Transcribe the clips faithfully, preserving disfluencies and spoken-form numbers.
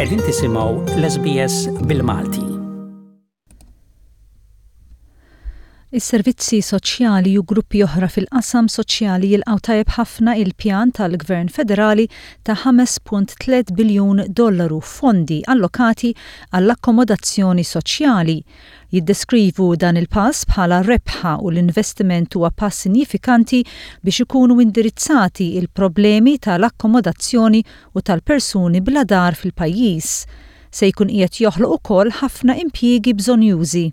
Qegħdin tisimgħu l-S B S bil-Malti. Is-servizzi soċjali u gruppi oħra fil-qasam soċjali jilqgħu tajjeb ħafna il-pjan tal-Gvern Federali ta' ħames punt tliet biljun dollaru fondi allokati għall-akkomodazzjoni soċjali. Jiddeskrivu dan il-pass bħala rebħa u l-investiment huwa pass sinifikanti biex ikunu indirizzati il-problemi tal-akkomodazzjoni u tal-persuni bla dar fil-pajjiż. Se jkun qiegħed joħloq ukoll ħafna impjiegi bżonjużi.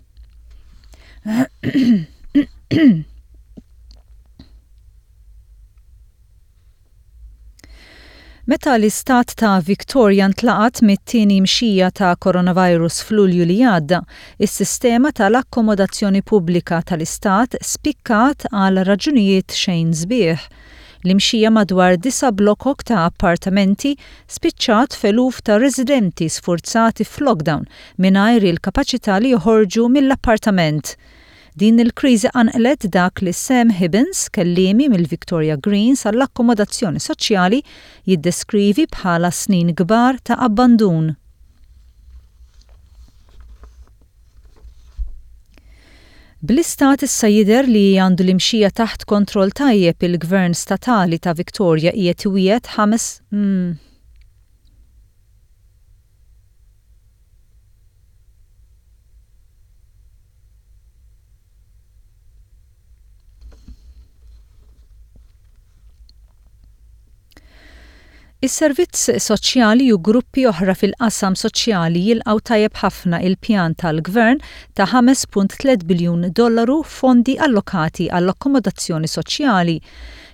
Meta l-istat ta' Victoria ntlaqat mit-tieni mxija ta' coronavirus f'Lulju li għadda, is-sistema tal-akkomodazzjoni pubblika tal-istat spikkat għal raġunijiet xejn sbieħ. L-imxija madwar disa' blokok ta' appartamenti spiċċat f'eluf ta' residenti sfurzati f'lockdown mingħajr il-kapaċità li joħorġu mill-appartament. Din il-kriżi qanqlet dak li Sam Hibbins, kelliemi mill-Victoria Greens għall-akkomodazzjoni soċjali, jiddeskrivi bħala snin kbar ta' abbandun. Bl-istat issa jidher li għandu l-imxija taħt kontroll tajjeb, il-Gvern statali ta' Victoria qiegħed iwiegħed ħames mm. Is-servizz soċjali u gruppi oħra fil-qasam soċjali jilqgħu tajjeb ħafna il-pjan tal-Gvern ta' ħames punt tliet biljun dollaru fondi allokati għall-akkomodazzjoni soċjali.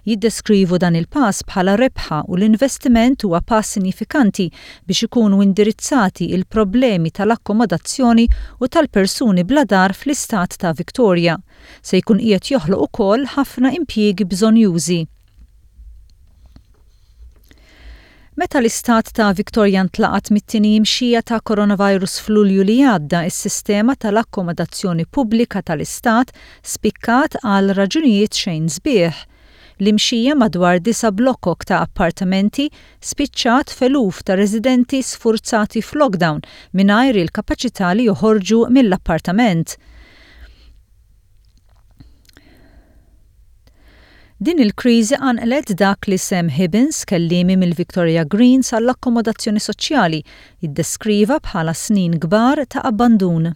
Jiddeskrivu dan il-pass bħala rebħa u l-investiment huwa pass sinifikanti biex ikunu indirizzati il-problemi tal-akkomodazzjoni u tal-persuni bla dar fl-istat ta' Victoria. Se jkun qiegħed joħloq ukoll ħafna impjiegi bżonjużi. Meta l-istat ta' Victoria ntlaqat mit-tieni imxija ta' coronavirus f'Lulju li għadda, is-sistema tal-akkomodazzjoni pubblika tal-istat spikkat għal raġunijiet xejn sbieħ. L-imxija madwar disa' blokok ta' appartamenti spiċċat f'eluf ta' residenti sfurzati f'lockdown mingħajr il-kapaċità li joħorġu mill-appartament. Din il-kriżi qanqlet dak li Sam Hibbins, kelliemi mill-Victoria Greens għall-akkomodazzjoni soċjali, iddeskriva bħala snin kbar ta' abbandun.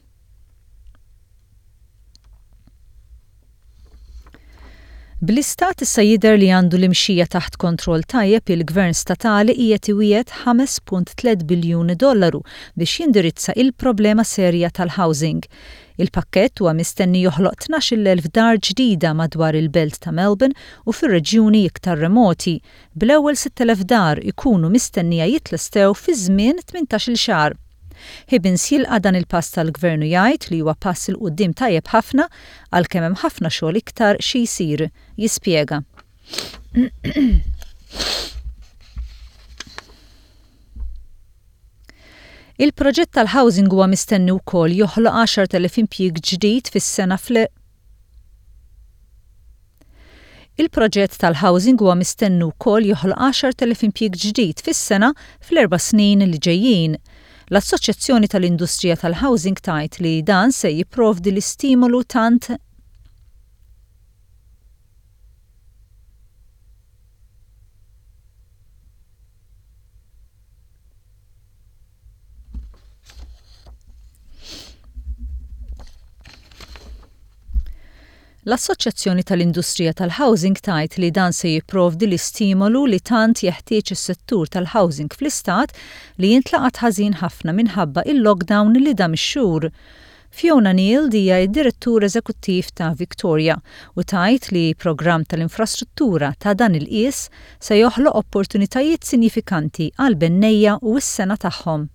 Bl-istat issa jidher li għandu l-imxija taħt kontroll tajjeb, il-Gvern statali qiegħed iwiegħed ħames punt tliet biljun dollaru biex jindirizza il-problema serja tal-housing. Il-pakkett huwa mistenni joħloq tnax-il elf dar ġdida madwar il-belt ta' Melbourne u fir-reġjuni iktar remoti, bl-ewwel sitt elef dar ikunu mistennija jitlestew fi żmien tmintax-il xahar. Hibbins jilqa' dan il-pass tal-gvernu, jgħid li huwa pass 'il quddiem tajjeb ħafna għalkemm hemm ħafna xogħol iktar xi jsir. Jispjega. Il-proġett tal-housing huwa mistenni wkoll joħloq għaxart elef impjieg ġdid fis-sena fl Il-proġett tal-housing huwa mistenni wkoll joħloq għaxart elef impjieg ġdid fis-sena fl-erba' snin li ġejjin. L-Assoċjazzjoni tal-Industrija tal-Housing tgħid li dan se jipprovdi l-istimolu tant L-Assoċjazzjoni tal-Industrija tal-Housing tgħid li dan se jipprovdi l-istimolu li tant jeħtieġ is-settur tal-housing fl-istat li jintlaqat ħażin ħafna minħabba il-lockdown li dam ix-xhur. Fiona Neal hija d-direttur eżekuttiv ta' Victoria u tgħid li programm tal-infrastruttura ta' dan il-qies se joħloq opportunitajiet sinifikanti għal bennejja u s-sengħa tagħhom.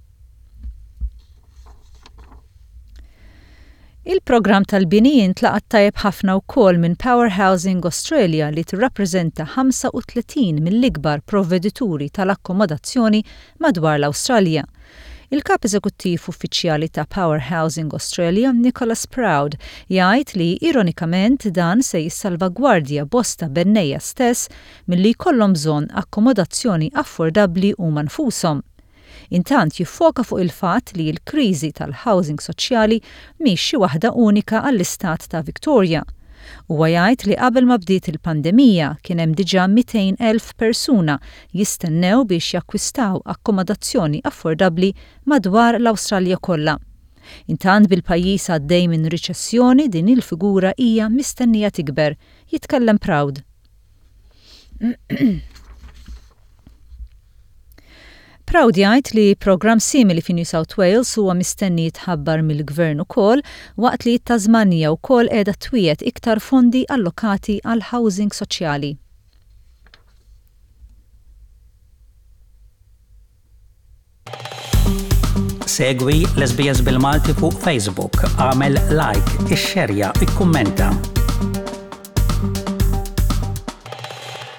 Il-programm tal-bini intlaqat tajjeb ħafna wkoll minn Power Housing Australia, li tirrappreżenta ħamsa u tletin mill-ikbar provvedituri tal-akkomodazzjoni madwar l-Awstralja. Il-kap eżekuttiv uffiċjali ta' Power Housing Australia, Nicholas Proud, jgħid li ironikament dan se jissalvagwardja bosta bennejja stess milli jkollhom bżonn akkomodazzjoni affordabbli huma nfushom. Intant jiffoka fuq il-fatt li l-kriżi tal-housing soċjali mhix xi waħda unika għall-istat ta' Victoria. Huwa jgħid li qabel ma bdiet il-pandemija kien hemm diġà mitejn elf persuna jistennew biex jakkwistaw akkomodazzjoni affordabbli madwar l-Awstralja kollha. Intant bil-pajjiż għaddej minn riċessjoni, din il-figura hija mistennija tikber. Jitkellem Proud. Proud jgħid li programm simili fi New South Wales huwa mistenni jitħabbar mill-gvern ukoll, waqt li t-Tasmania wkoll qiegħda twiegħed iktar fondi allokati għal housing soċjali. Segwi l-S B S bil-Malti fuq Facebook, għamel like, ixxerja, ikkummenta.